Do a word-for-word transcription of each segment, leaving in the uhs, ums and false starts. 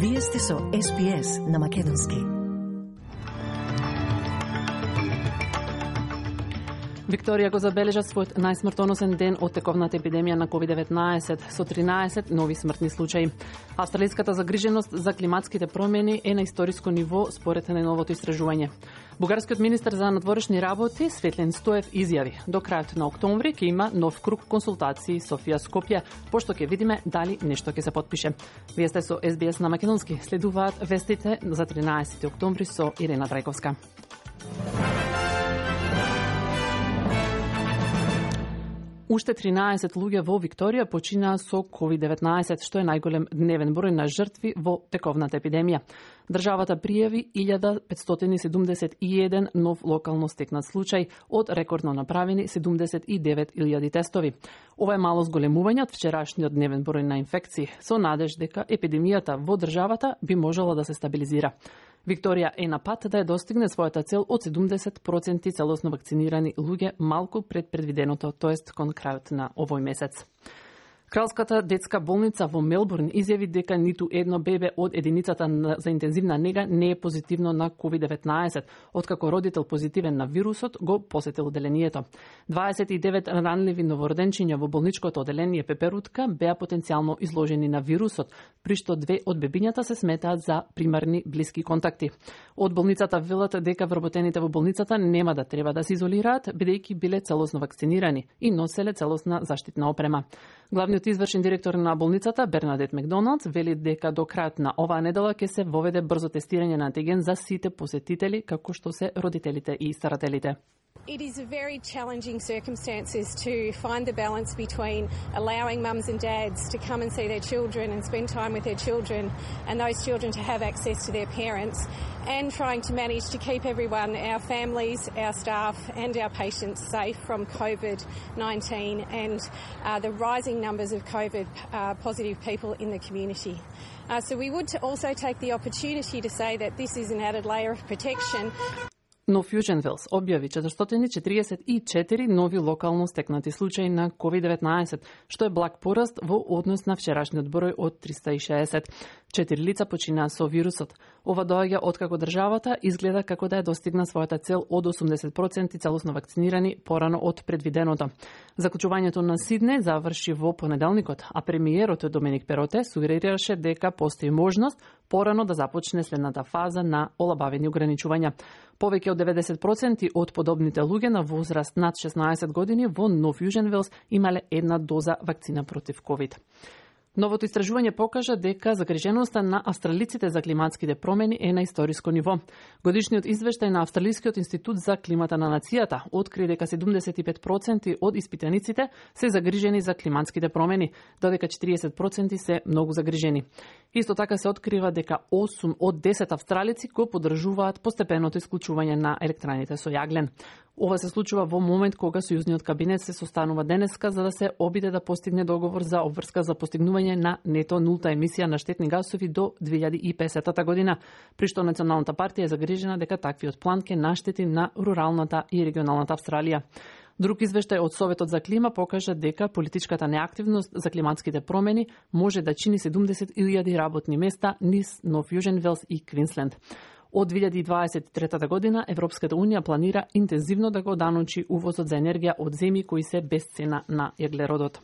Вие сте со Ес Би Ес на Македонски. Викторија го забележа својот најсмртоносен ден од тековната епидемија на ковид деветнаесет со тринаесет нови смртни случаи. Австралиската загриженост за климатските промени е на историско ниво според најновото истражување. Бугарскиот министер за надворешни работи Светлин Стоев изјави: до крајот на октомври ќе има нов круг консултации Софија Скопје, пошто ќе видиме дали нешто ќе се потпише. Вие сте со Ес Би Ес на Македонски. Следуваат вестите за тринаесети октомври со Ирена Драјковска. Уште тринаесет луѓе во Викторија починаа со ковид деветнаесет, што е најголем дневен број на жртви во тековната епидемија. Државата пријави илјада петстотини седумдесет и еден нов локално стекнат случај од рекордно направени седумдесет и девет илјади тестови. Ова е мало зголемување од вчерашниот дневен број на инфекции, со надеж дека епидемијата во државата би можела да се стабилизира. Викторија е на пат да ја достигне својата цел од седумдесет проценти целосно вакцинирани луѓе малку пред предвиденото, тоест кон крајот на овој месец. Кралската детска болница во Мелбурн изјави дека ниту едно бебе од единицата за интензивна нега не е позитивно на ковид деветнаесет, откако родител позитивен на вирусот го посетил оделението. дваесет и девет ранливи новороденчиња во болничкото оделение Пеперутка беа потенцијално изложени на вирусот, при што две од бебињата се сметаат за примарни блиски контакти. Од болницата велат дека вработените во болницата нема да треба да се изолираат, бидејќи биле целосно вакцинирани и носеле целосна заштитна опрема. Главниот извршен директор на болницата Бернадет Макдоналдс вели дека до крајот на оваа недела ќе се воведе брзо тестирање на антиген за сите посетители, како што се родителите и старателите. It is a very challenging circumstances to find the balance between allowing mums and dads to come and see their children and spend time with their children and those children to have access to their parents, and trying to manage to keep everyone, our families, our staff and our patients safe from COVID nineteen and uh, the rising numbers of COVID uh, positive people in the community. Uh, so we would also take the opportunity to say that this is an added layer of protection. Но Fusion Wells објави четиристотини четиридесет и четири нови локално стекнати случаи на ковид деветнаесет, што е благ пораст во однос на вчерашниот број од триста и шеесет. Четири лица починаа со вирусот. Ова доаѓа откако државата изгледа како да ја достигна својата цел од осумдесет проценти целосно вакцинирани порано од предвиденото. Заклучувањето на Сиднеј заврши во понеделникот, а премиерот Доминик Пероте сугерираше дека постои можност порано да започне следната фаза на олабавени ограничувања. Повеќе од деветдесет проценти од подобните луѓе на возраст над шеснаесет години во Нов Јужен Велс имале една доза вакцина против ковид. Новото истражување покажа дека загриженоста на австралиците за климатските промени е на историско ниво. Годишниот извештај на Австралискиот институт за климата на нацијата откри дека седумдесет и пет проценти од испитаниците се загрижени за климатските промени, додека четириесет проценти се многу загрижени. Исто така се открива дека осум од десет австралици го поддржуваат постепеното исклучување на електраните со јаглен. Ова се случува во момент кога Сојузниот кабинет се состанува денеска за да се обиде да постигне договор за обврска за постигнување на нето нулта емисија на штетни гасови до две илјади и песетата година, при што Националната партија е загрижена дека таквиот план ќе наштети на руралната и регионалната Австралија. Друг извештај од Советот за клима покажа дека политичката неактивност за климатските промени може да чини седумдесет илјади работни места низ Нов Јужен Велс и Квинсленд. Од две илјади дваесет и трета година Европската унија планира интензивно да го даночи увозот за енергија од земји кои се без цена на јаглеродот.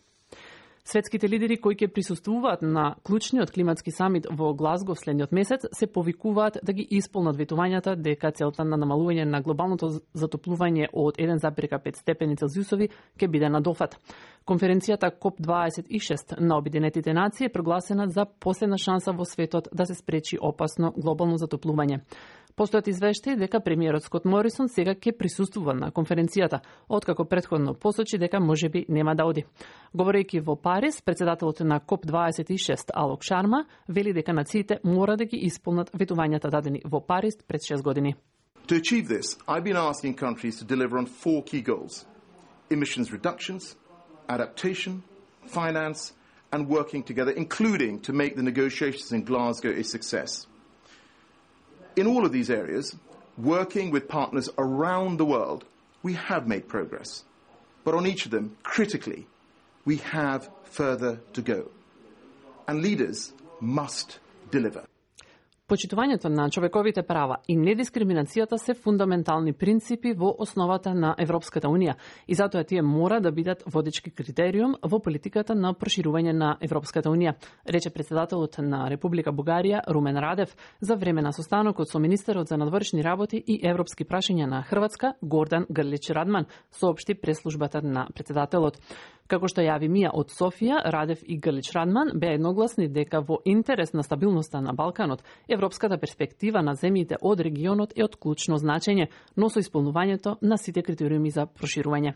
Светските лидери кои ќе присуствуваат на клучниот климатски самит во Глазго следниот месец се повикуваат да ги исполнат ветувањата дека целта на намалување на глобалното затоплување од еден зарез пет степени Целзиусови ќе биде надофат. Конференцијата Коп дваесет и шест на Обединетите нации е прогласена за последна шанса во светот да се спречи опасно глобално затоплување. Постојат извештаи дека премиерот Скот Морисон сега ќе присуствува на конференцијата, откако претходно посочи дека можеби нема да оди. Говорејќи во Париз, председателот на Коп дваесет и шест Алок Шарма вели дека нациите мора да ги исполнат ветувањата дадени во Париз пред шест години. To achieve this, I've been asking countries to deliver on four key goals: emissions reductions, adaptation, finance, and working together, including to make the negotiations in Glasgow a success. In all of these areas, working with partners around the world, we have made progress. But on each of them, critically, we have further to go. And leaders must deliver. Почитувањето на човековите права и недискриминацијата се фундаментални принципи во основата на Европската Унија и затоа тие мора да бидат водечки критериум во политиката на проширување на Европската Унија, рече председателот на Република Бугарија Румен Радев за време на состанокот со министерот за надворешни работи и европски прашања на Хрватска Гордан Грлич Радман, соопшти преслужбата на председателот. Како што јави Мија од Софија, Радев и Грлич Радман беа едногласни дека во интерес на стабилноста на Балканот, европската перспектива на земјите од регионот е од клучно значење, но со исполнувањето на сите критериуми за проширување.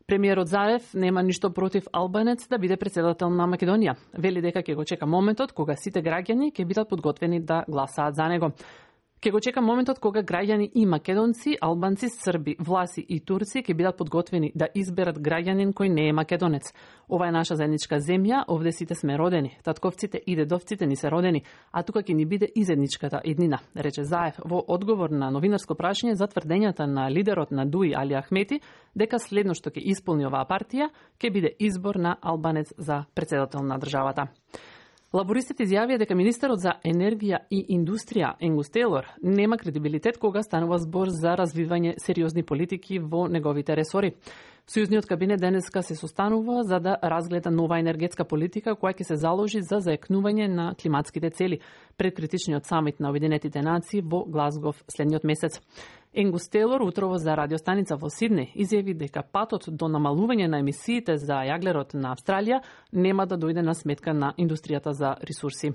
Премиерот Заев нема ништо против албанец да биде председател на Македонија. Вели дека ќе го чека моментот кога сите граѓани ќе бидат подготвени да гласаат за него. Ке го чека моментот кога граѓани и македонци, албанци, срби, власи и турци ќе бидат подготвени да изберат граѓанин кој не е македонец. Ова е наша заедничка земја, овде сите сме родени. Татковците и дедовците ни се родени, а тука ќе ни биде и заедничката иднина, рече Заев во одговор на новинарско прашање за тврдењата на лидерот на Дуи Али Ахмети дека следно што ќе исполни оваа партија ќе биде избор на албанец за председател на државата. Лабористите изјавија дека министерот за енергија и индустрија Енгус Тейлор нема кредибилитет кога станува збор за развивање сериозни политики во неговите ресори. Сојузниот кабинет денеска се состанува за да разгледа нова енергетска политика која ќе се заложи за заекнување на климатските цели пред критичниот самит на Обединетите нации во Глазгов следниот месец. Енгус Тейлор утрово за радиостаница во Сиднеј изјави дека патот до намалување на емисиите за јаглерод на Австралија нема да дојде на сметка на индустријата за ресурси.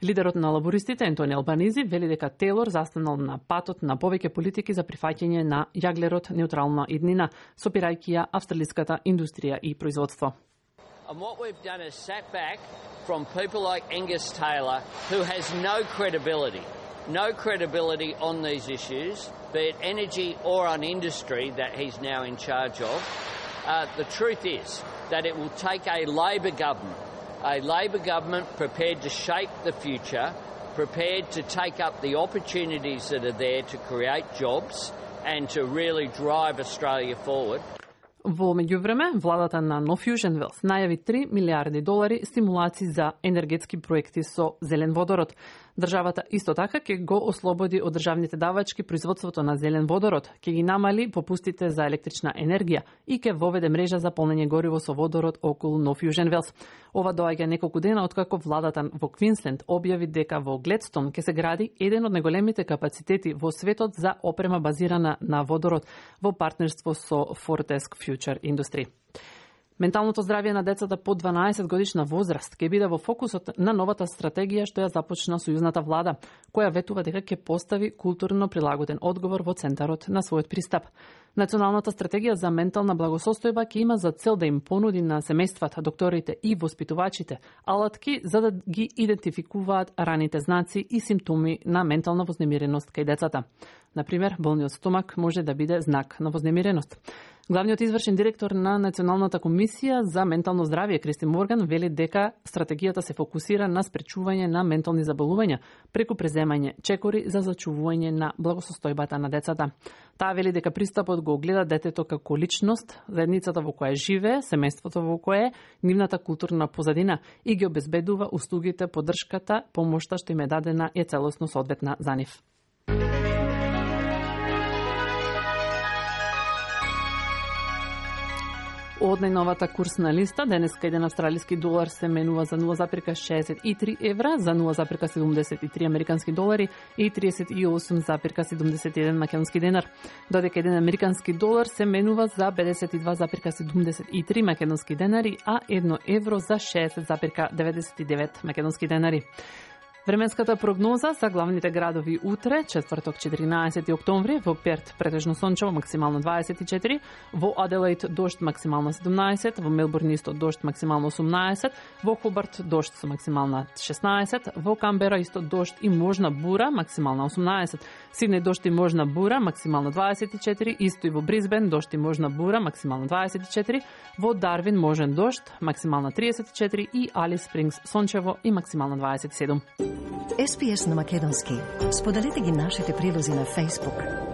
Лидерот на лабористите Ентони Албанизи вели дека Тейлор застанал на патот на повеќе политики за прифаќање на јаглерод неутрална иднина, сопирајќи ја австралиската индустрија и производство. And what we've done is sat back from people like Angus Taylor, who has no credibility, no credibility on these issues, be it energy or on industry that he's now in charge of. Uh, the truth is that it will take a Labor government, a Labor government prepared to shape the future, prepared to take up the opportunities that are there to create jobs and to really drive Australia forward. Во меѓувреме, владата на No Fusion Wealth најави три милиарди долари стимулации за енергетски проекти со зелен водород. Државата исто така ќе го ослободи од државните давачки производството на зелен водород, ќе ги намали попустите за електрична енергија и ќе воведе мрежа за полнење гориво со водород околу No Fusion Wealth. Ова доаѓа неколку дена откако владата во Квинсленд објави дека во Гледстон ќе се гради еден од најголемите капацитети во светот за опрема базирана на водород во партнерство со Fortesque Future Industry. Менталното здравје на децата под дванаесет годишна возраст ќе биде во фокусот на новата стратегија што ја започна сојузната влада, која ветува дека ќе постави културно прилагоден одговор во центарот на својот пристап. Националната стратегија за ментална благосостојба ќе има за цел да им понуди на семејствата, докторите и воспитувачите алатки за да ги идентификуваат раните знаци и симптоми на ментална вознемиреност кај децата. Например, болниот стомак може да биде знак на вознемиреност. Главниот извршен директор на Националната комисија за ментално здравје Кристи Морган вели дека стратегијата се фокусира на спречување на ментални заболувања преку преземање чекори за зачувување на благосостојбата на децата. Таа вели дека пристапот го гледа детето како личност, заедницата во која живее, семејството во кое е, нивната културна позадина и ги обезбедува услугите, поддршката, помошта што им е дадена е целосно соодветна за нив. Од најновата курсна листа, денеска еден австралиски долар се менува за нула запирка шеесет и три евра, за нула запирка седумдесет и три американски долари и триесет и осум запирка седумдесет и еден македонски денар. Додека еден американски долар се менува за педесет и два запирка седумдесет и три македонски денари, а едно евро за шеесет запирка деветдесет и девет македонски денари. Временската прогноза за главните градови утре, четврток четиринаесети октомври, во Перт претежно сончево, максимално дваесет и четири, во Аделаид дожд максимално седумнаесет, во Мелбурн исто дожд максимално осумнаесет, во Хобарт дожд со максимална шеснаесет, во Камбера исто дожд и можна бура, максимална осумнаесет, Сиднеј дожд и можна бура, максимално дваесет и четири, исто и во Брисбен дожд и можна бура, максимално дваесет и четири, во Дарвин можен дожд, максимална триесет и четири и Алис Спрингс сончево и максимално дваесет и седум. Ес Би Ес на македонски. Споделете ги нашите прилози на Facebook.